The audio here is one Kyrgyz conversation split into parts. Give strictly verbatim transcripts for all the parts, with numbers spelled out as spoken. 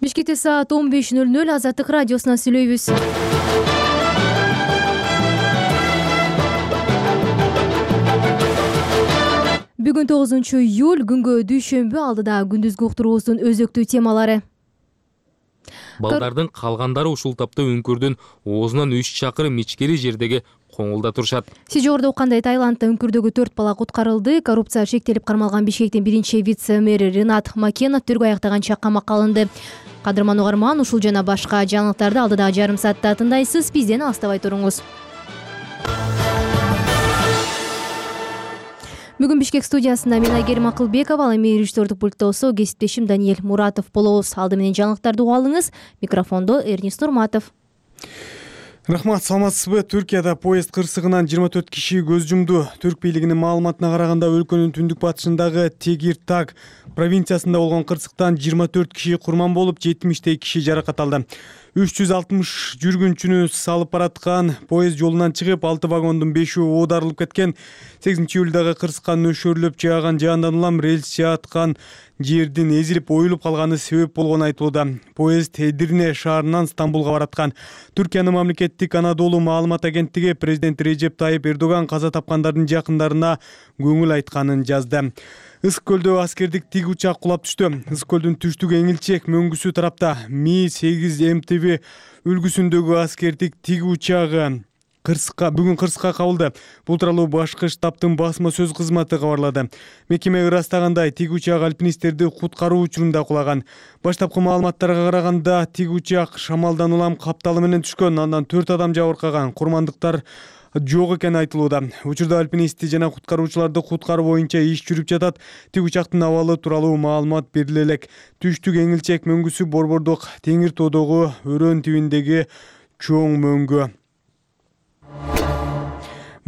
Бишкекте саат он беш ноль ноль Азаттык радиосунан сүйлөйбүз. Бүгүн тогузунчу июль күнгө дүйшөмбү алдыда күндүзгү уктуруубуздун өзөктүү темалары. Балдардын калгандары ушул тапта үңкүрдүн оозунан үч чакырым ичкери жердеги коңулда турушат. Сиз жогоруда уккандай Таиландда үңкүрдөгү төрт бала куткарылды. Коррупция шектелип кармалган Бишкектин биринчи вице-мэри Ренат Макенов тергөө аяктаганча камакка алынды. Кадырман угарман, ушул жана башка жаңылыктарды алдыдагы жарым саатта тыңдайсыз. Бизден алыстабай туруңуз. Бүгүн Бишкек студиясында мен Айгерим Акылбекова, ал эми режиссердук пультта болсо кесиптешим Даниэль Муратов болобуз. Алды менен жаңылыктарды угуп алыңыз. Микрофондо Эрнис Нурматов. Рахмат, саламатсызбы? Түркияда поезд кырсыгынан жыйырма төрт киши көз жумду. Түрк бийлигинин маалыматына караганда өлкөнүн түндүк батышындагы Тегиртаг провинциясында болгон кырсыктан жыйырма төрт киши курман болуп, жетимиштей киши жаракат алды. үч жүз алтымыш жүргүнчүнү салып бараткан поезд жолунан чыгып, алты вагондун бешөө оодарылып кеткен. сегизинчи июлдагы кырсыкка нөшөрлөп жааган жаандан улам рельс жааткан жердин эзилип оюлуп калганы себеп болгону айтылууда. Поезд Эдирне шаарынан Стамбулга бараткан. Түркиянын мамлекеттик Анадолу маалымат агенттиги президент Режеп Тайып Эрдоган каза тапкандардын жакындарына көңүл айтканын жазды. Ысык көлдө аскердик тиг учак кулап түштү. Ысык көлдүн түштүк эңилчек мөңгүсү тарапта Ми сегиз М Т В үлгүсүндөгү аскердик тиг учагы кырсыкка бүгүн кырсыкка кабылды. Бул тууралуу башкы штабтын басма сөз кызматы кабарлады. Мекеме ырастагандай, тиг учак альпинисттерди куткаруу учурунда кулаган. Баштапкы маалыматтарга караганда, тиг учак шамалдан улам капталы менен түшкөн, андан төрт адам жабыркаган. Курмандыктар жок экени айтылууда. Учурда альпинистти жана куткаруучуларды куткаруу боюнча иш жүрүп жатат. Тиг учактын абалы тууралуу маалымат бериле элек. Түштүк эңилчек мөңгүсү Борбордук Теңир тоодогу өрөөн тибиндеги чоң мөңгү.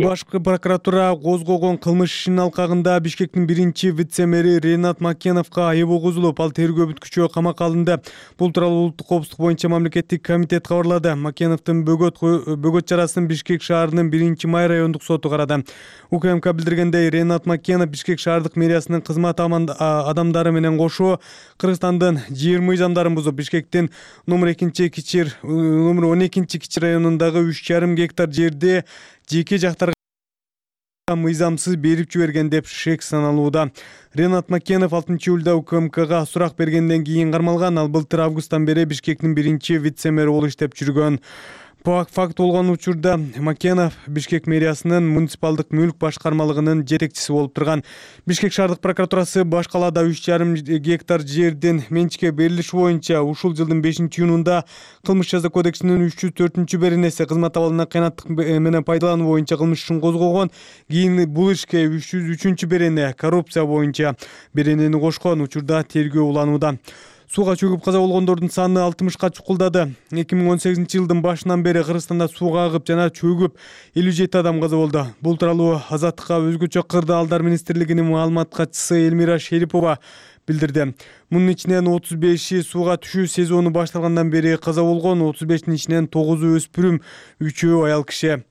Башкы прокуратура козгогон кылмыш ишинин алкагында Бишкектин биринчи вице-мэри Ренат Макеновго айыбы козулуп, ал тергөө бүткүчө камакка алынды. Бул тууралуу улуттук коопсуздук боюнча мамлекеттик комитет кабарлады. Макеновдун бөгөт бөгөт чарасын Бишкек шаарынын биринчи май райондук соту карады. У К М К билдиргендей, Ренат Макенов Бишкек шаардык мэриясынын кызмат адамдары менен кошо Кыргызстандын жер мыйзамдарын бузуп, Бишкектин номер экинчи кичир номер он экинчи кичи районундагы үч жарым гектар жерди жеке жактарга мыйзамсыз берип жиберген деп шек саналууда. Ренат Макенов алтынчы июлда У К М Кга сурак бергенден кийин кармалган. Ал былтыр августтан бери Бишкектин биринчи вице-мэри болуп иштеп жүргөн. Факт болгон учурда Макенов Бишкек мэриясынын муниципалдык мүлк башкармалыгынын жетекчиси болуп турган. Бишкек шаардык прокуратурасы баш калаада үч жарым гектар жердин менчикке берилиши боюнча ушул жылдын бешинчи июнунда Кылмыш жаза кодексинин үч жүз төртүнчү беренеси кызмат абалына кыянаттык менен пайдалануу боюнча кылмыш ишин козгогон. Кийин бул ишке үч жүз үчүнчү берене коррупция боюнча беренени кошкон. Учурда тергөө уланууда. Сууга чөгүп каза болгондордун саны алтымышка чукулдады. эки миң он сегизинчи жылдын башынан бери Кыргызстанда сууга агып жана чөгүп элүү жети адам каза болду. Бул тууралуу Азаттыкка өзгөчө кырдаалдар министрлигинин маалымат катчысы Элмира Шерипова билдирди. Мунун ичинен отуз беши сууга түшүү сезону башталгандан бери каза болгон, отуз бештин ичинен тогузу өспүрүм, үчөө аял киши.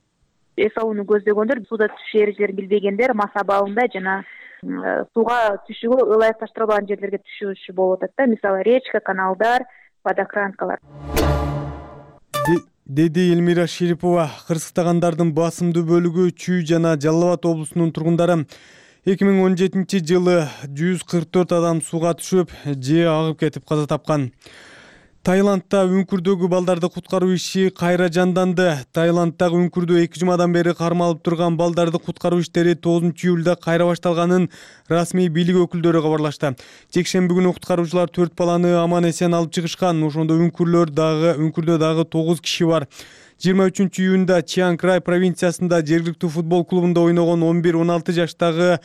Эс алууну көздөгөндөр, суда түшүү эрежелерин билбегендер мас абалында жана сууга түшүүгө ылайыкташтырылган жерлерге түшүүчү болуп атат да, мисалы речка, каналдар, водокранкалар. Деди Элмира Шерипова. Кырсыктагандардын басымдуу бөлүгү Чүй жана Жалал Абад облусунун тургундары. эки миң он жетинчи жылы жүз кырк төрт адам сууга түшүп же агып кетип каза тапкан. Таиландда үңкүрдөгү балдарды куткаруу иши кайра жанданды. Таиланддагы үңкүрдө эки жумадан бери кармалып турган балдарды куткаруу иштери тогузунчу июлда кайра башталганын расмий бийлик өкүлдөрү кабарлашты. Жекшемби күнү куткаруучулар төрт баланы аман эсен алып чыгышкан. Ошондо үңкүрлөр дагы үңкүрдө дагы тогуз киши бар. жыйырма үчүнчү июнда Чианг Рай провинциясында жергиликтүү футбол клубунда ойногон он бир он алты жаштагы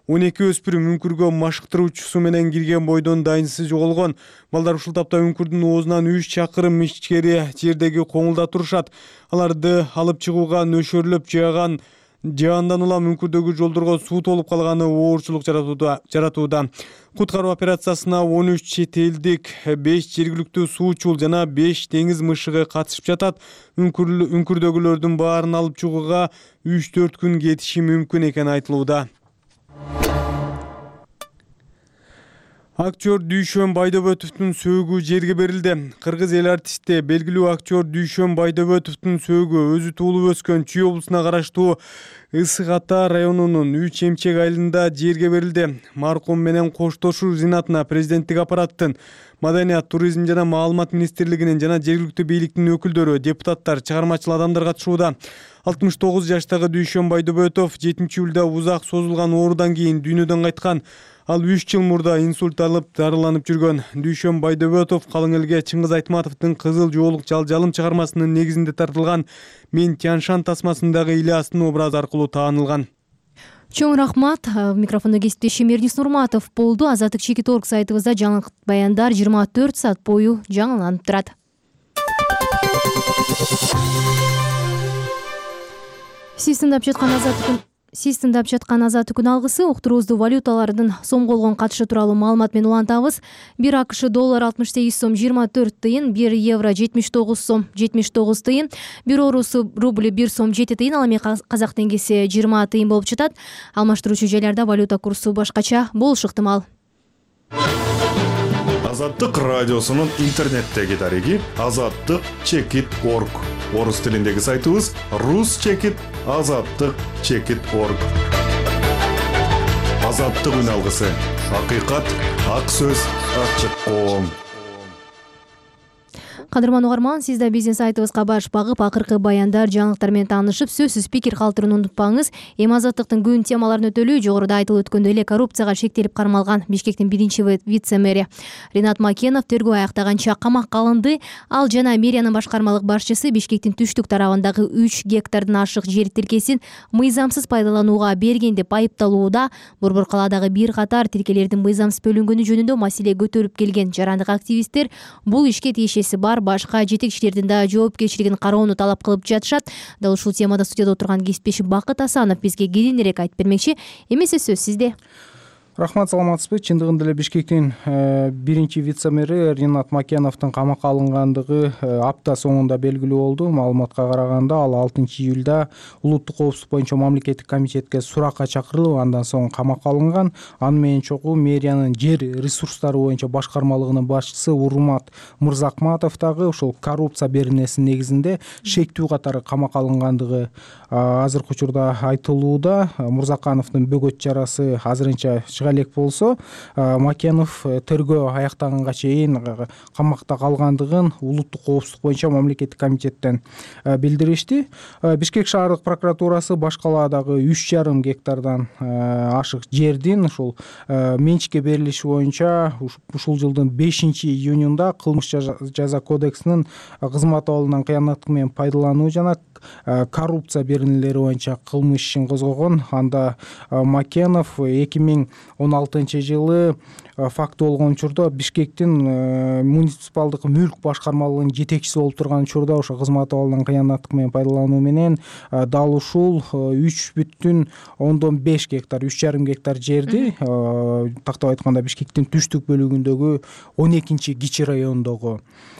он эки өспүрүм үңкүргө машыктыруучусу менен кирген бойдон дайынсыз жоголгон. Балдар ушул тапта үңкүрдүн оозунан үч чакырым ичкери жердеги коңулда турушат. Аларды алып чыгууга нөшөрлөп жааган жаандан улам үңкүрдөгү жолдорго суу толуп калганы оорчулук жаратууда. Куткаруу операциясына он үч чет элдик, беш жергиликтүү суучул жана беш деңиз мышыгы катышып жатат. Үңкүрдөгүлөрдүн баарын алып чыгууга үч төрт күн кетиши мүмкүн экени айтылууда. Актер Дүйшөн Байдобетовдун сөөгү жерге берилди. Кыргыз эл артисти белгилүү актер Дүйшөн Байдобетовдун сөөгү өзү туулуп өскөн Чүй облусуна караштуу Ысык Ата районунун Үч Эмчек айылында жерге берилди. Маркум менен коштошуу зинатына президенттик аппараттын, Маданият, туризм жана маалымат министрлигинин жана жергиликтүү бийликтин өкүлдөрү, депутаттар, чыгармачыл адамдар катышууда. алтымыш тогуз жаштагы Дүйшөн Байдобетов жетинчи июлда узак созулган оорудан кийин дүйнөдөн кайткан. Ал үч жыл мурда инсульт алып дарыланып жүргөн. Дүйшөн Байдобетов калың элге Чыңгыз Айтматовдун Кызыл жоолук жалжалым чыгармасынын негизинде тартылган Мен Тяншан тасмасындагы Ильястын образы аркылуу таанылган. Чоң рахмат. Микрофондо кесиптешим Эрнис Нурматов болду. Азаттык чекит орг сайтыбызда жаңылык баяндар жыйырма төрт саат бою жаңыланып турат. Сиз тыңдап жаткан Азаттык Сиз тыңдап жаткан Азаттык күн алгысы уктуруубузду валюталардын сомго болгон катышы тууралуу маалымат менен улантабыз. бир АКШ доллар алтымыш сегиз сом жыйырма төрт тыйын, бир евро жетимиш тогуз сом жетимиш тогуз тыйын, бир орусу рубль бир сом жети тыйын, ал эми казак теңгеси жыйырма тыйын болуп жатат. Алмаштыруучу жайларда валюта курсу башкача болушу ыктымал. Азаттык радиосунун интернеттеги дареги азаттык чекит орг. Орус тилиндеги сайтыбыз рус чекит азаттык чекит орг. Азаттык үн алгысы. Акыйкат, ак сөз, ачык коом. Кадырман угарман, сиз да биздин сайтыбызга баш багып, акыркы баяндар, жаңылыктар менен таанышып, сөзсүз пикир калтырууну унутпаңыз. Эми азаттыктын күн темаларын өтөлүү. Жогоруда айтылып өткөндөй эле коррупцияга шектелип кармалган Бишкектин биринчи вице-мэри Ринат Макенов тергөө аяктаганча камакка алынды. Ал жана мэриянын башкармалык башчысы Бишкектин түштүк тарабындагы үч гектардан ашык жер тилкесин мыйзамсыз пайдаланууга берген деп айыпталууда. Борбор калаадагы бир катар тилкелердин мыйзамсыз бөлүнгөнү жөнүндө маселе көтөрүп келген жарандык активисттер бул ишке тиешеси бар башка жетекчилердин да жоопкерчилигин кароону талап кылып жатышат. Дал ушул темада студияда отурган кесиптешим Бакыт Асанов бизге кененирээк айтып бермекчи. Эмесе сөз сизде. Рахмат, саламатсызбы? Чындыгында эле Бишкектин биринчи вице-мэри Ринат Макеновдун камакка алынгандыгы апта соңунда белгилүү болду. Маалыматка караганда ал алтынчы июлда улуттук коопсуздук боюнча мамлекеттик комитетке суракка чакырылып, андан соң камакка алынган. Аны менен чогуу мэриянын жер ресурстары боюнча башкармалыгынын башчысы Урмат Мырзакматов дагы ошол коррупция беренесинин негизинде шектүү катары камакка алынгандыгы азыркы учурда айтылууда. Мырзакановдун бөгөт чарасы азырынча элек болсо, Макенов тергөө аяктаганга чейин камакта калгандыгын улуттук коопсуздук боюнча мамлекеттик комитеттен билдиришти. Бишкек шаардык прокуратурасы баш калаадагы үч жарым гектардан ашык жердин ушул менчикке берилиши боюнча ушул жылдын бешинчи июнунда кылмыш жаза кодексинин кызмат абалынан кыянаттык менен пайдалануу жана коррупция беренелери боюнча кылмыш ишин козгогон. Анда Макенов эки миң он алтынчы жылы факты болгон учурда Бишкектин муниципалдык мүлк башкармалыгынын жетекчиси болуп турган учурда ошо кызмат абалынан кыянаттык менен пайдалануу менен дал ушул үч бүтүн ондон беш гектар, үч жарым гектар жерди тактап айтканда Бишкектин түштүк бөлүгүндөгү он экинчи кичи райондогу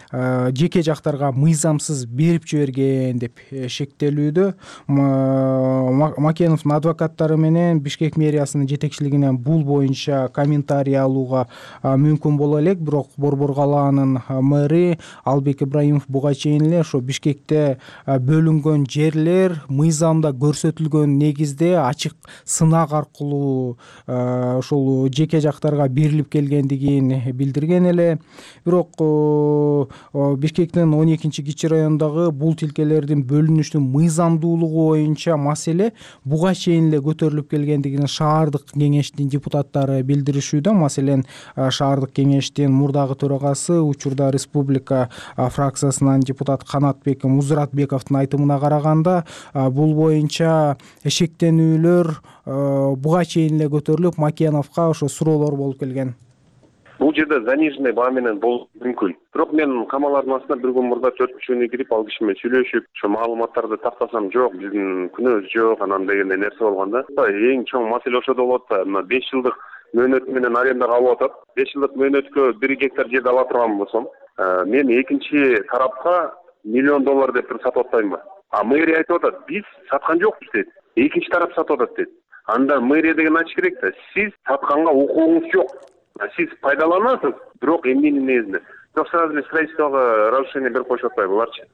жеке жактарга мыйзамсыз берип жиберген деп шектелүүдө. Макеновдун адвокаттары менен Бишкек мэриясынын жетекчилигинен бул боюнча комментарий алууга мүмкүн боло элек, бирок Борбор калаанын мэри Албек Ибраимов буга чейин эле ошо Бишкекте бөлүнгөн жерлер мыйзамда көрсөтүлгөн негизде ачык сынак аркылуу ошол жеке жактарга берилип келгендигин билдирген эле. Бирок Бишкектин он экинчи кичи райондогу бул тилкелердин бөлүнүшүнүн мыйзамдуулугу боюнча маселе буга чейин эле көтөрүлүп келгендигин шаардык кеңештин депутаттары билдиришүүдө. Маселен, шаардык кеңештин мурдагы төрагасы, учурда республика фракциясынан депутат Канатбек Музратбековдун айтымына караганда, бул боюнча шектенүүлөр буга чейин эле көтөрүлүп, Макеновго ошо суроолор болуп келген. Бул жерде заниженный баа менен болушу мүмкүн. Бирок мен камалардын астына бир күн мурда төрт күчүнө кирип, ал киши менен сүйлөшүп, ошо маалыматтарды тактасам, жок, биздин күнөөбүз жок, анан дегендей нерсе болгон да. Эң чоң маселе ошодо болот да. Мына беш жылдык мөөнөт менен арендага алып атат. беш жылдык мөөнөткө бир гектар жерди ала турган болсом, мен экинчи тарапка миллион доллар деп сатып атпаймынбы? А мэрия айтып атат, биз саткан жокпуз дейт. Экинчи тарап сатып атат дейт. Анда мэрия деген ачыш керек да. Сиз сатканга укугуңуз жок. сиз пайдаланасыз, бирок эмненин негизинде. Бирок сразу эле строительствого разрешение берип коюшуп атпайбы буларчы?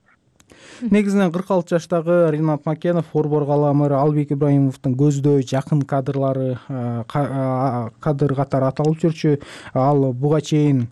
Негизинен кырк алты жаштагы Ринат Макенов Орбор кала мэрі Албек Ибраимовдун көздөй жакын кадрлары кадр катары аталып жүрчү. Ал буга чейин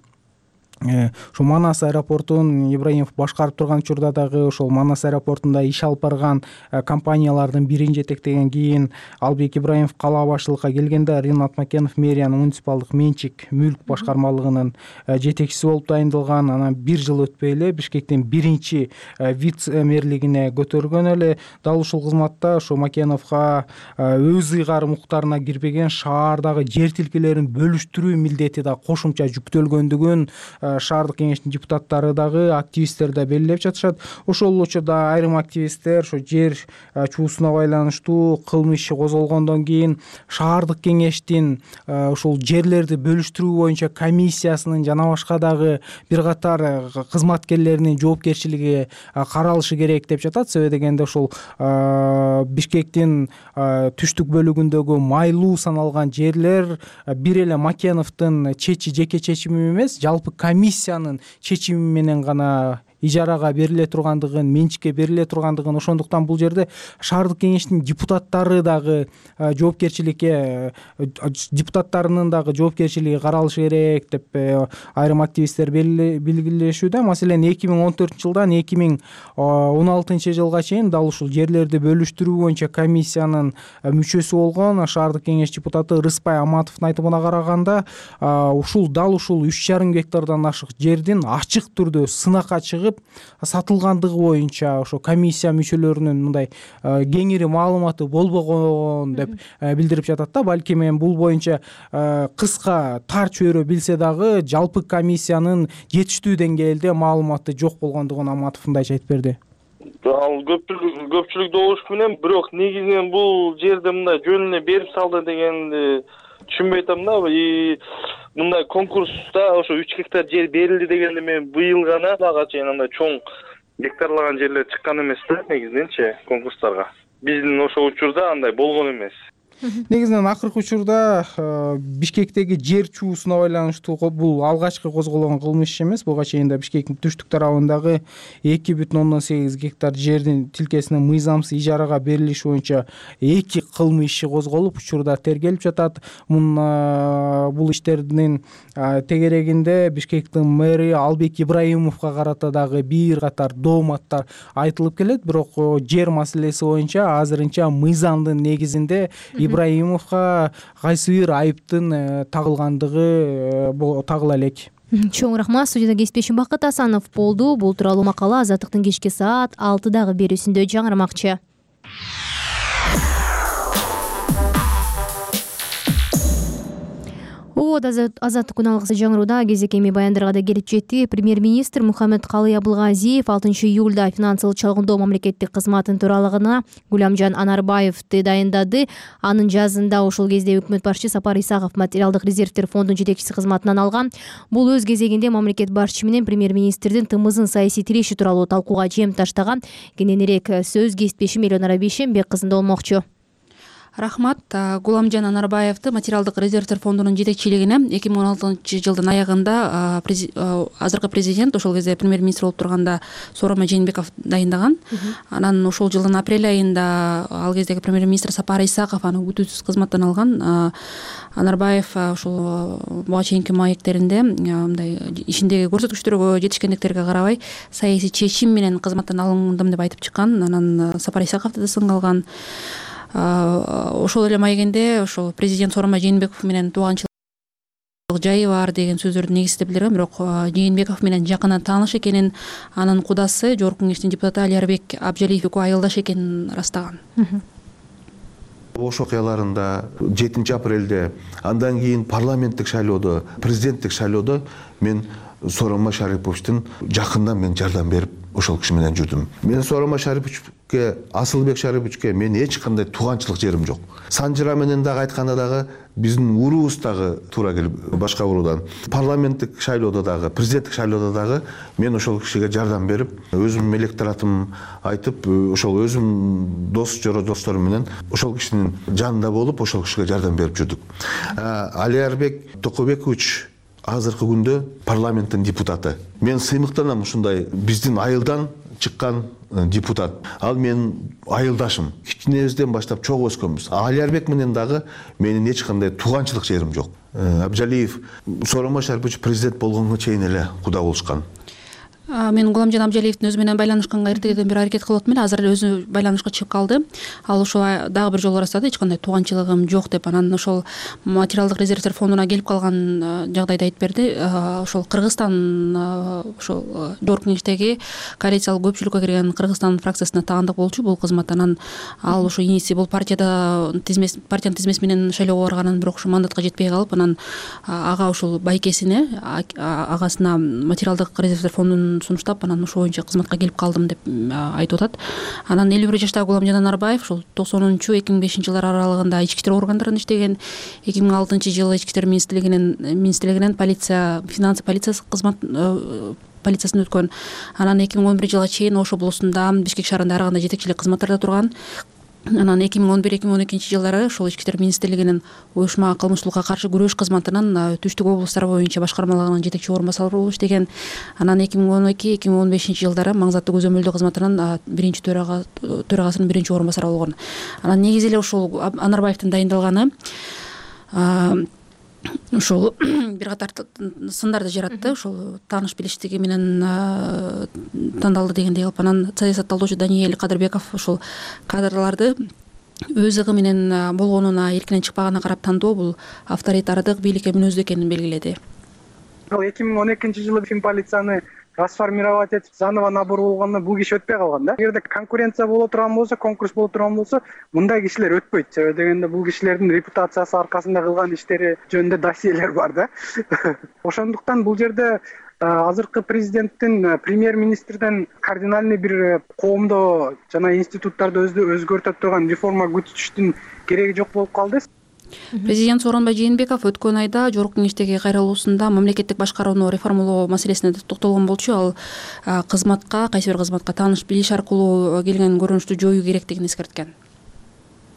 ошо Манас аэропортун Ибраимов башкарып турган учурда дагы ошол Манас аэропортунда иш алып барган компаниялардын бирин жетектеген. Кийин Албек Ибраимов кала башчылыкка келгенде Ринат Макенов мэриянын муниципалдык менчик мүлк башкармалыгынын жетекчиси болуп дайындалган. Анан бир жыл өтпөй эле Бишкектин биринчи вице-мэрлигине көтөргөн эле. Дал ушул кызматта ошо Макеновго өз ыйгарым укуктарына кирбеген шаардагы жер тилкелерин бөлүштүрүү милдети да кошумча жүктөлгөндүгүн шаардык кеңештин депутаттары дагы активисттер да белгилеп жатышат. Ошол учурда айрым активисттер ошо жер чуусуна байланыштуу кылмыш иши козголгондон кийин шаардык кеңештин ошол жерлерди бөлүштүрүү боюнча комиссиясынын жана башка дагы бир катар кызматкерлеринин жоопкерчилиги каралышы керек деп жатат. Себеби дегенде ошол Бишкектин түштүк бөлүгүндөгү майлуу саналган жерлер бир эле Макеновдун чечи жеке чечими эмес, жалпы комиссиянын чечими менен гана ижарага бериле тургандыгын, менчикке бериле тургандыгын, ошондуктан бул жерде шаардык кеңештин депутаттары дагы жоопкерчиликке депутаттарынын дагы жоопкерчилиги каралышы керек деп айрым активисттер белгилешүүдө. Маселен, эки миң он төртүнчү жылдан эки миң он алтынчы жылга чейин дал ушул жерлерди бөлүштүрүү боюнча комиссиянын мүчөсү болгон шаардык кеңеш депутаты Рыспай Аматовдун айтымына караганда, ушул дал ушул үч жарым гектардан ашык жердин ачык түрдө сынакка чыгып сатылгандыгы боюнча ошо комиссия мүчөлөрүнүн мындай кеңири маалыматы болбогон деп билдирип жатат да. Балким эми бул боюнча кыска тар чөйрө билсе дагы жалпы комиссиянын жетиштүү деңгээлде маалыматы жок болгондугун Аматов мындайча айтып берди. Ал көпчүлүк көпчүлүк добуш менен, бирок негизинен бул жерде мындай жөн эле берип салды дегенди түшүнбөй атам да. И мындай конкурста ошо үч гектар жер берилди дегенде мен быйыл гана ага чейин андай чоң гектарлаган жерлер чыккан эмес да негизиненчи конкурстарга. Биздин ошол учурда андай болгон эмес. Негизинен акыркы учурда Бишкектеги жер чуусуна байланыштуу бул алгачкы козголгон кылмыш иши эмес. Буга чейин да Бишкектин түштүк тарабындагы эки бүтүн ондон сегиз гектар жердин тилкесине мыйзамсыз ижарага берилиши боюнча эки кылмыш иши козголуп, учурда тергелип жатат. Мун бул иштердин тегерегинде Бишкектин мэри Албек Ибраимовго карата дагы бир катар дооматтар айтылып келет. Бирок жер маселеси боюнча азырынча мыйзамдын негизинде Ибраимовго кайсы бир айыптын тагылгандыгы тагыла элек. Чоң рахмат. Студияда кесиптешим Бакыт Асанов болду. Бул тууралуу макала Азаттыктын кечки саат алтыдагы берүүсүндө жаңырмакчы. Обод азаттык күн алгысы жаңырууда кезекеми баяндарга да келип жетти. Премьер-министр Мухаммед Калый Абылгазиев алтынчы июлда финансылык чалгындоо мамлекеттик кызматтын төралыгына Гулямжан Анарбаевди дайындады. Анын жазында ошол кезде өкмөт башчы Сапар Исаков материалдык резервдер фондунун жетекчиси кызматынан алган. Бул өз кезегинде мамлекет башчысы менен премьер-министрдин тымызын саясий тиреши тууралуу талкууга жем таштаган. Кененирээк сөз кесиптешим Элонара Бейшембек кызында болмокчу. Рахмат. Гуламжан Анарбаевди материалдык резервдер фондунун жетекчилигине эки миң он алтынчы жылдын аягында азыркы президент, ошол кезде премьер-министр болуп турганда Сооронбай Жээнбеков дайындаган. Анан ошол жылдын апрель айында ал кездеги премьер-министр Сапар Исаков аны күтүүсүз кызматтан алган. Анарбаев ошол буга чейинки маектеринде мындай ишиндеги көрсөткүчтөргө, жетишкендиктерге карабай саясий чечим менен кызматтан алындым деп айтып чыккан. Анан Сапар Исаковду да сынга алган. Ошол эле маегинде ошол президент Сооронбай Жээнбеков менен тууганчылык жайы бар деген сөздөрдү негиздеп билдирген. Бирок Жээнбеков менен жакынан тааныш экенин, анын кудасы Жогорку Кеңештин депутаты Алиарбек Абжалиев экөө айылдаш экенин ырастаган. Ош окуяларында жетинчи апрелде, андан кийин парламенттик шайлоодо, президенттик шайлоодо мен Сооронбай Шариповичтин жакындан мен жардам берип ошол киши менен жүрдүм. Мен Сооронбай Шарипович Асылбек Шариповичке мен эч кандай тууганчылык жерим жок. Санжыра менен дагы айтканда дагы биздин уруубуз дагы туура келип башка уруудан. Парламенттик шайлоодо дагы, президенттик шайлоодо дагы мен ошол кишиге жардам берип, өзүм электоратым айтып, ошол өзүм дос жоро досторум менен ошол кишинин жанында болуп, ошол кишиге жардам берип жүрдүк. Алиарбек Токобекович азыркы күндө парламенттин депутаты. Мен сыймыктанам ушундай биздин айылдан чыккан депутат. Ал менин айылдашым. Кичинебизден баштап чогуу өскөнбүз. Алиарбек менен дагы менин эч кандай тууганчылык жерим жок. Абжалиев Сооронбай Шарипович президент болгонго чейин эле куда болушкан. Мен Гуламжан Абжалиевдин өзү менен байланышканга эртеден бери аракет кылып атам эле. Азыр эле өзү байланышка чыгып калды. Ал ошо дагы бир жолу ырастады, эч кандай тууганчылыгым жок деп. Анан ошол материалдык резервдер фондуна келип калган жагдайды айтып берди. Ошол Кыргызстан ошол жогорку кеңештеги коалициялык көпчүлүккө кирген Кыргызстан фракциясына тагандык болчу бул кызмат. Анан ал ошо иниси бул партияда тизмес партиянын тизмеси менен шайлоого барганын, бирок ошо мандатка жетпей калып, анан ага ошол байкесине, агасына материалдык резервдер фондун сунуштап, анан ошол боюнча кызматка келип калдым деп айтып атат. Анан элүү бир жаштагы Гуламжан Анарбаев ошол токсонунчу эки миң бешинчи жылдар аралыгында ички иштер органдарында иштеген. эки миң алтынчы жылы ички иштер министрлигинин министрлигинен полиция, финансы полициясы кызмат полициясын өткөн. Анан эки миң он биринчи жылга чейин Ош облусунда, Бишкек шаарында ар кандай жетекчилик кызматтарда турган. Анан эки миң он бир эки миң он экинчи жылдары ошол ички иштер министрлигинин уюшма кылмыштуулукка каршы күрөш кызматынын түштүк облустар боюнча башкармалыгынын жетекчи орун басары болуп иштеген. Анан эки миң он эки эки миң он бешинчи жылдары маңзаттуу көзөмөлдөө кызматынын биринчи төрагасынын биринчи орун басары болгон. Анан негизи эле ошол Анарбаевдин дайындалганы ошол бир катар сындарды жаратты. Ошол тааныш билиштиги менен тандалды дегендей кылып. Анан саясат талдоочу Даниэль Кадырбеков ошол кадрларды өз ыгы менен болгонуна, эркинен чыкпаганына карап тандоо бул авторитардык, бийликке мүнөздүү экенин белгиледи. эки миң он экинчи жылы фин полицияны трансформировать этип заново набор болгондо бул киши өтпөй калган да. Эгерде конкуренция боло турган болсо, конкурс боло турган болсо, мындай кишилер өтпөйт. Себеби дегенде бул кишилердин репутациясы аркасында кылган иштери жөнүндө досьелер бар да. Ошондуктан бул жерде азыркы президенттин премьер-министрден кардинальный бир коомдо жана институттарды өзгөртө турган реформа күтүштүн кереги жок болуп калды. Президент Сооронбай Жээнбеков өткөн айда жогорку кеңештеги кайрылуусунда мамлекеттик башкарууну реформалоо маселесине токтолгон болчу. Ал кызматка, кайсы бир кызматка тааныш билиш аркылуу келген көрүнүштү жоюу керектигин эскерткен.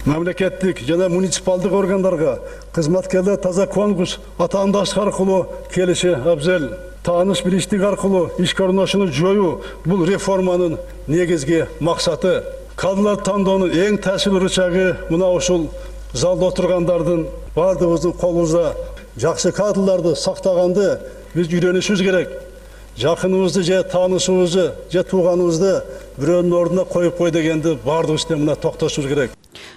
Мамлекеттик жана муниципалдык органдарга кызматкерлер таза конкурс, атаандаштык аркылуу келиши абзел. Тааныш билиштик аркылуу ишке орношууну жоюу бул реформанын негизги максаты. Кадрлар тандоонун эң таасирлүү рычагы мына ушул залда отургандардын баардыгыбыздын колубузда. Жакшы кадрларды сактаганды биз үйрөнүшүбүз керек. Жакыныбызды же таанышыбызды же тууганыбызды бирөөнүн ордуна коюп кой дегенди баардыгыбыз мына токтошубуз керек.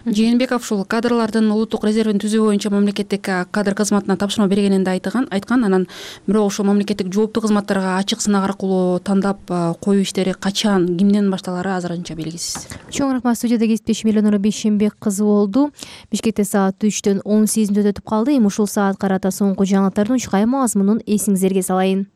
Жээнбеков ушул кадрлардын улуттук резервин түзүү боюнча мамлекеттик кадр кызматына тапшырма бергенин да айткан, айткан. Анан бирок ошол мамлекеттик жооптуу кызматтарга ачык сынак аркылуу тандап коюу иштери качан, кимден башталары азырынча белгисиз. Чоң рахмат. Студияда кесиптешим Элнура Бейшенбек кызы болду. Бишкекте саат үчтөн он сегиз мүнөт өтүп калды. Эми ушул саат карата соңку жаңылыктардын учкай мазмунун эсиңиздерге салайын.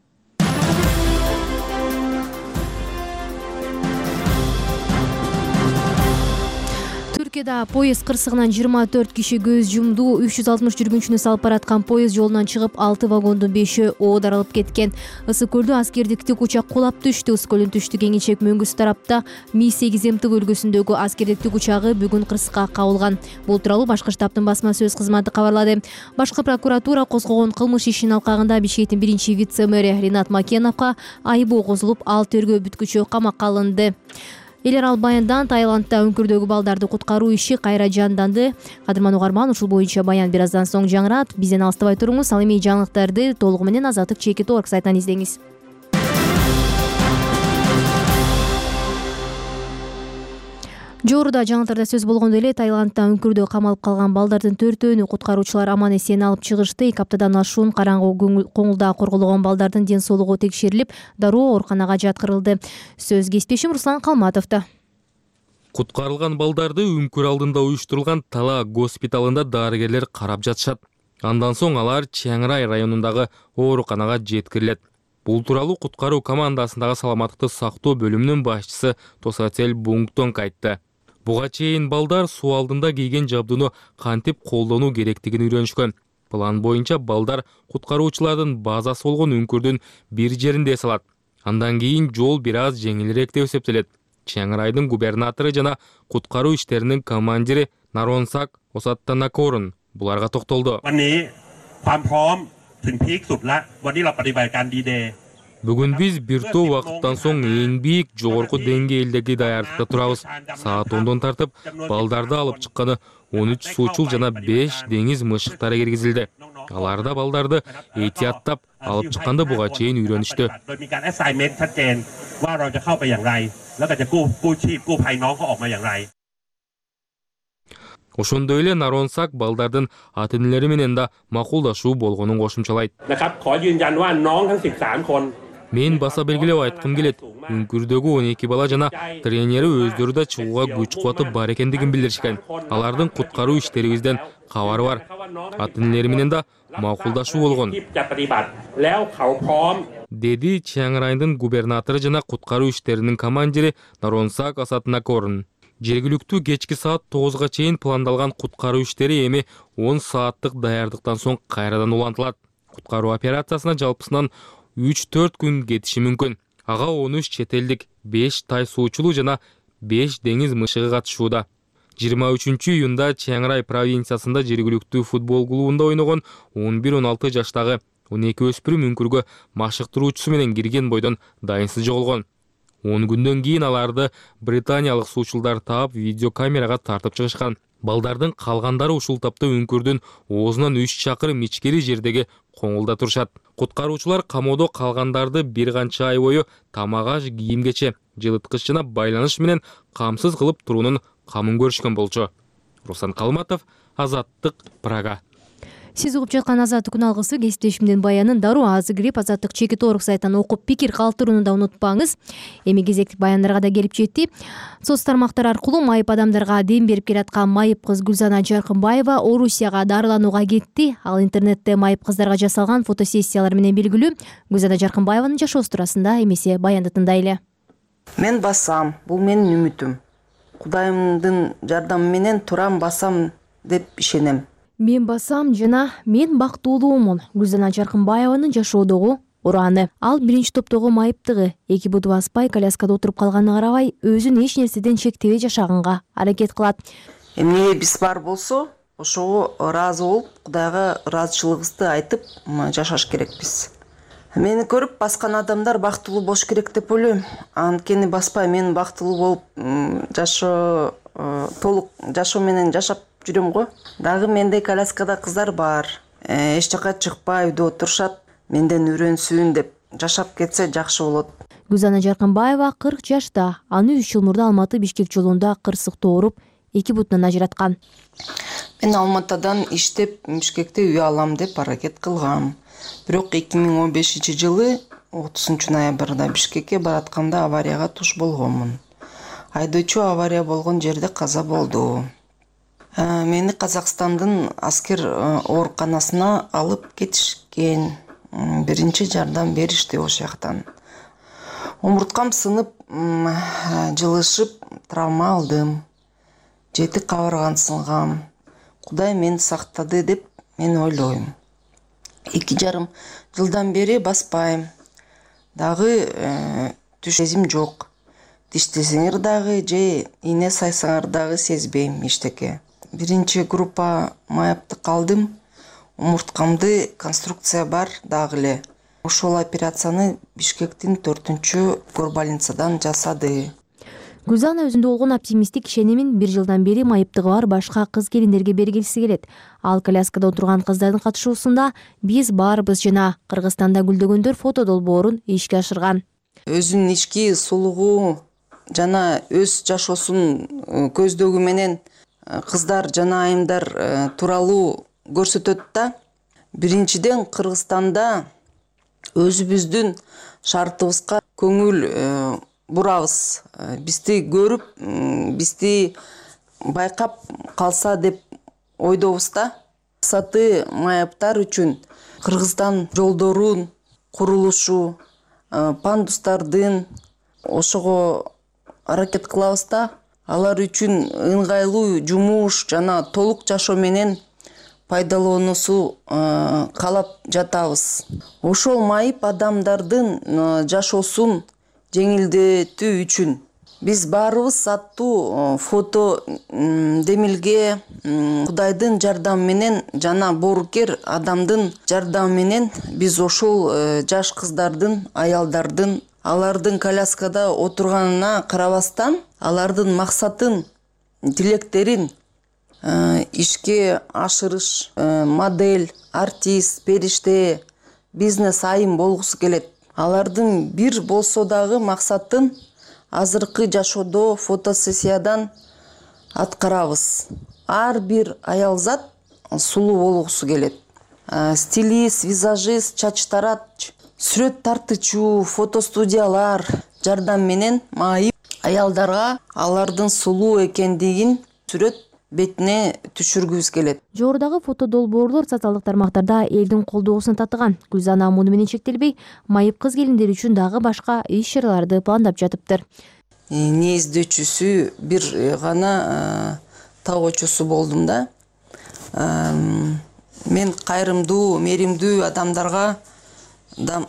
Түркияда поезд кырсыгынан жыйырма төрт киши көз жумду. үч жүз алтымыш жүргүнчүнү салып бараткан поезд жолунан чыгып, алты вагондун бешөө оодарылып кеткен. Ысык көлдө аскердик тик учак кулап түштү. Ысык көлдүн түштүк эңичек мөңгүсү тарапта Ми сегиз М Т бөлгөсүндөгү аскердик тик учагы бүгүн кырсыкка кабылган. Бул тууралуу Башкы штабтын басма сөз кызматы кабарлады. Башкы прокуратура козгогон кылмыш ишинин алкагында Бишкектин биринчи вице-мэри Ринат Макеновго айыбоо козулуп, ал тергөө бүткүчө камакка алынды. Эл аралык баяндан Таиландда өңкүрдөгү балдарды куткаруу иши кайра жанданды. Кадырман угарман, ушул боюнча баян бир аздан соң жаңырат. Бизден алыстабай туруңуз. Ал эми жаңылыктарды толугу менен азаттык чекит точка орг сайтынан издеңиз. Жогоруда жаңылыктарда сөз болгондой эле Таиландда өңкүрдө камалып калган балдардын төртөөнү куткаруучулар аман эсен алып чыгышты. эки аптадан ашуун караңгы коңулда корголгон балдардын ден соолугу текшерилип, дароо ооруканага жаткырылды. Сөз кесиптешим Руслан Калматовдо. Куткарылган балдарды өңкүр алдында уюштурулган Тала госпиталында дарыгерлер карап жатышат. Андан соң алар Чаңрай районундагы ооруканага жеткирилет. Бул тууралуу куткаруу командасындагы саламаттыкты сактоо бөлүмүнүн башчысы Тосатель Бунгтонг айтты. Буга чейин балдар суу алдында кийген жабдууну кантип колдонуу керектигин үйрөнүшкөн. План боюнча балдар куткаруучулардын базасы болгон үңкүрдүн бир жеринде эс алат. Андан кийин жол бир аз жеңилирээк деп эсептелет. Чиang Райдын губернатору жана куткаруу иштеринин командири Наронсак Осаттанакорун буларга токтолду. Бүгүн биз бир топ убакыттан соң эң бийик жогорку деңгээлдеги даярдыкта турабыз. Саат ондон тартып балдарды алып чыкканы он үч суучул жана беш деңиз мышыктары киргизилди. Алар да балдарды этияттап алып чыкканды буга чейин үйрөнүштү. Ошондой эле Наронсак балдардын ата-энелери менен да макулдашуу болгонун кошумчалайт. Мен баса белгилеп айткым келет. Үңкүрдөгү он эки бала жана тренери өздөрү да чыгууга күч кубаты бар экендигин билдиришкен. Алардын куткаруу иштерибизден кабары бар. Ата-энелери менен да макулдашуу болгон. Деди Чиang Райдын губернатору жана куткаруу иштеринин командири Наронсак Осаттанакорун. Жергиликтүү кечки саат тогузга чейин пландалган куткаруу иштери эми он сааттык даярдыктан соң кайрадан улантылат. Куткаруу операциясына жалпысынан үч төрт күн кетиши мүмкүн. Ага он үч чет элдик, беш тай суучулуу жана беш деңиз мышыгы катышууда. жыйырма үчүнчү июнда Чиang Рай провинциясында жергиликтүү футбол клубунда ойногон он бир он алты жаштагы он эки өспүрүм үңкүргө машыктыруучусу менен кирген бойдон дайынсыз жоголгон. он күндөн кийин аларды британиялык суучулдар таап видеокамерага тартып чыгышкан. Балдардын калгандары ушул тапта үңкүрдүн оозунан үч чакырым ичкери жердеги коңулда турушат. Куткаруучулар камоодо калгандарды бир канча ай бою тамак-аш, кийим-кече, жылыткыч жана байланыш менен камсыз кылып туруунун камын көрүшкөн болчу. Руслан Калматов, Азаттык, Прага. Сиз угуп жаткан Азаттык күн алгысы кесиптешимдин баянын дароо азы кирип Азаттык чекит орг сайтынан окуп пикир калтырууну да унутпаңыз. Эми кезектик баяндарга да келип жетти. Соц тармактар аркылуу майып адамдарга дем берип келаткан майып кыз Гүлзана Жаркынбаева Орусияга дарыланууга кетти. Ал интернетте майып кыздарга жасалган фотосессиялар менен белгилүү. Гүлзана Жаркынбаеванын жашоосу туурасында эмесе баянды тындайлы. Мен басам, бул менин үмүтүм. Кудайымдын жардамы менен турам, басам деп ишенем. Мен басам жана мен бактылуумун. Гүлзана Жаркынбаеванын жашоодогу ураны. Ал биринчи топтогу майыптыгы, эки буту баспай коляскада отуруп калганына карабай, өзүн эч нерседен чектебей жашаганга аракет кылат. Эмне биз бар болсо, ошого ыраазы болуп, Кудайга ыраазычылыгыбызды айтып жашаш керекпиз. Мени көрүп баскан адамдар бактылуу болуш керек деп ойлойм. Анткени баспай мен бактылуу болуп жашоо толук жашоо менен жашап жүрөм го. Дагы мендей коляскада кыздар бар. Эч жака чыкпай үйдө отурушат. Менден үйрөнсүн деп жашап кетсе жакшы болот. Гүлзана Жаркынбаева кырк жашта. Аны үч жыл мурда Алматы Бишкек жолунда кырсыктуу ооруп, эки бутунан ажыраткан. Мен Алматадан иштеп Бишкекте үй алам деп аракет кылгам. Бирок эки миң он бешинчи жылы отузунчу ноябрда Бишкекке баратканда аварияга туш болгонмун. Айдоочу авария болгон жерде каза болду. Мени Казакстандын аскер ооруканасына алып кетишкен. Биринчи жардам беришти ошол жактан. Омурткам сынып, жылышып, травма алдым. Жети кабыргам сынгам. Кудай мени сактады деп мен ойлойм. Эки жарым жылдан бери баспайм. Дагы түш сезим жок. Диштесеңер дагы же ийне сайсаңар дагы сезбейм эчтеке. Биринчи группа майыпты калдым. Омурткамды конструкция бар дагы эле. Ошол операцияны Бишкектин төртүнчү горбольницадан жасады. Гүлзана өзүндө болгон оптимисттик ишенимин бир жылдан бери майыптыгы бар башка кыз келиндерге бергиси келет. Ал коляскада отурган кыздардын катышуусунда биз баарыбыз жана Кыргызстанда гүлдөгөндөр фото долбоорун ишке ашырган. Өзүнүн ички сулугу жана өз жашоосун көздөгү менен кыздар жана айымдар тууралуу көрсөтөт да. Биринчиден Кыргызстанда өзүбүздүн шартыбызга көңүл бурабыз. Бизди көрүп, бизди байкап калса деп ойдобуз да. Максаты майыптар үчүн Кыргызстан жолдорун курулушу, пандустардын ошого аракет кылабыз да алар үчүн ыңгайлуу жумуш жана толук жашоо менен пайдалануусу каалап жатабыз. Ошол майып адамдардын жашоосун жеңилдетүү үчүн биз баарыбыз аттуу фото демилге Кудайдын жардамы менен жана боорукер адамдын жардамы менен биз ошол жаш кыздардын, аялдардын алардын коляскада отурганына карабастан алардын максатын, тилектерин ишке ашырыш, модель, артист, периште, бизнес айым болгусу келет. Алардын бир болсо дагы максатын азыркы жашоодо фотосессиядан аткарабыз. Ар бир аялзат сулуу болгусу келет. Стилист, визажист, чач тарач, сүрөт тартуучу, фотостудиялар жардам менен майып аялдарга алардын сулуу экендигин сүрөт бетине түшүргүбүз келет. Жогорудагы фото долбоорлор социалдык тармактарда элдин колдоосун татыган. Гүлзана муну менен чектелбей, майып кыз келиндер үчүн дагы башка иш-чараларды пландап жатыптыр. Неиздөөчүсү бир гана табуучусу болдум да. Мен кайрымдуу, меримдүү адамдарга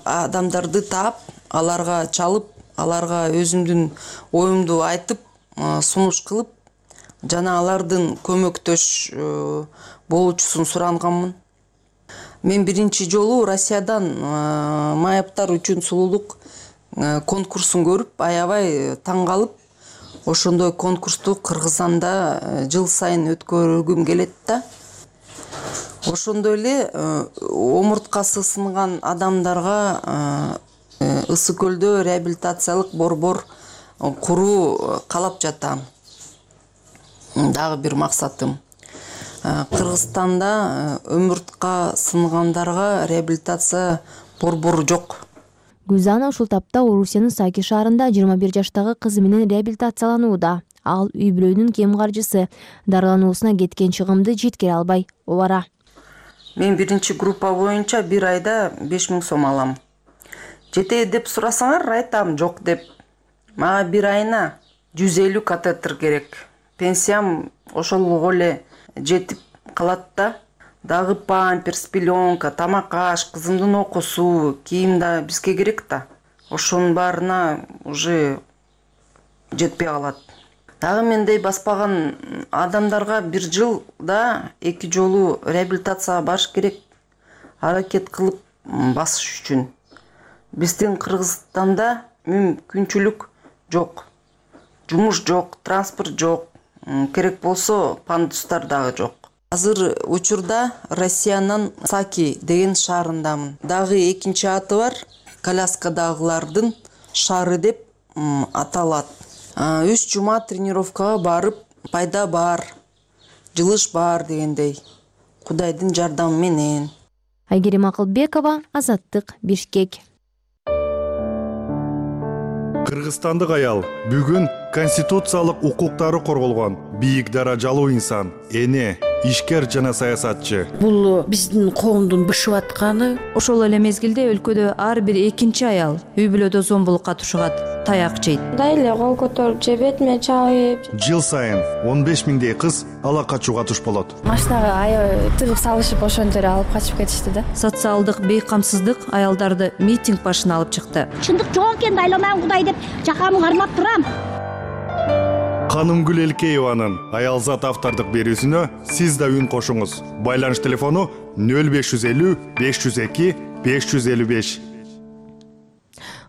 адамдарды таап, аларга чалып, аларга өзүмдүн оюмду айтып, сунуш кылып, жана алардын көмөктөш болуучусун суранганмын. Мен биринчи жолу Россиядан майыптар үчүн сулуулук конкурсун көрүп, аябай таң калып, ошондой конкурсту Кыргызстанда жыл сайын өткөргүм келет да. Ошондой эле омурткасы сынган адамдарга Ысык көлдө реабилитациялык борбор куруу каалап жатам. Дагы бир максатым. Кыргызстанда өмүртка сынгандарга реабилитация борбору жок. Гүлзана ушул тапта Орусиянын Саки шаарында жыйырма бир жаштагы кызы менен реабилитацияланууда. Ал үй бүлөнүн кем каржысы, дарылануусуна кеткен чыгымды жеткире албай обара. Мен биринчи группа боюнча бир айда беш миң сом алам. Жетеби деп сурасаңар, айтам жок деп. Мага бир айына жүз элүү катетр керек. Пенсиям ошолго эле жетип калат да. Дагы памперс, пеленка, тамак аш, кызымдын окуусу, кийим да бизге керек да. Ошонун баарына уже жетпей калат. Дагы мендей баспаган адамдарга бир жылда эки жолу реабилитацияга барыш керек. Аракет кылып басыш үчүн. Биздин Кыргызстанда мүмкүнчүлүк жок. Жумуш жок, транспорт жок. Керек болсо пандустар дагы жок. Азыр учурда Россиянын Саки деген шаарындамын. Дагы экинчи аты бар, коляскадагылардын шаары деп аталат. Үч жума тренировкага барып, пайда бар, жылыш бар дегендей. Кудайдын жардамы менен. Айгерим Акылбекова, Азаттык, Бишкек. Кыргызстандык аял бүгүн конституциялык укуктары корголгон бийик даражалуу инсан, эне, ишкер жана саясатчы. Бул биздин коомдун бышып атканы. Ошол эле мезгилде өлкөдө ар бир экинчи аял үй бүлөдө зомбулукка тушугат, таяк жейт. Мындай эле кол көтөрүп же бетиме чалып. Жыл сайын он беш миңдей кыз ала качууга туш болот. Машинага аябай тыгып салышып ошондо эле алып качып кетишти да. Социалдык бейкамсыздык аялдарды митинг башына алып чыкты. Чындык жок экен, айланам Кудай деп жакамы кармап турам. Канымгүл Элкееванын аялзат автордук берүүсүнө сиз да үн кошуңуз. Байланыш телефону нөл беш жүз элүү беш жүз эки беш жүз элүү беш.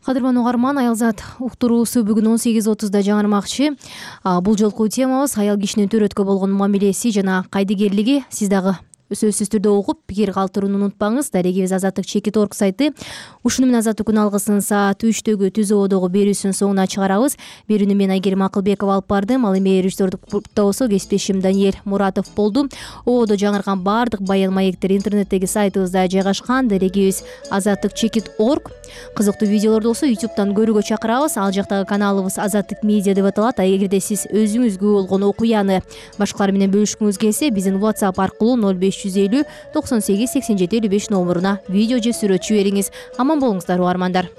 Кадырман угарман, аялзат уктуруусу бүгүн он сегиз отузда жаңырмакчы. Бул жолку темабыз аял кишинин төрөткө болгон мамилеси жана кайдыгерлиги. Сиз дагы сөзсүз түрдө угуп, пикир калтырууну унутпаңыз. Дарегибиз азаттык чекит точка орг сайты. Ушуну менен азаттык күн алгысын саат үчтөгү түз ободогу берүүсүнүн соңуна чыгарабыз. Берүүнү мен Айгерим Акылбекова алып бардым. Ал эми режиссердук пультта болсо кесиптешим Даниэль Муратов болду. Ободо жаңырган баардык баян маектер интернеттеги сайтыбызда жайгашкан. Дарегибиз азаттык чекит точка орг. Кызыктуу видеолорду болсо ютубтан көрүүгө чакырабыз. Ал жактагы каналыбыз Азаттык медиа деп аталат. Эгерде сиз өзүңүзгө болгон окуяны башкалар менен бөлүшкүңүз келсе, биздин WhatsApp аркылуу нөл беш жүз элүү токсон сегиз сексен жети элүү беш номуруна видео же сүрөт жибериңиз. Аман болуңуздар угармандар.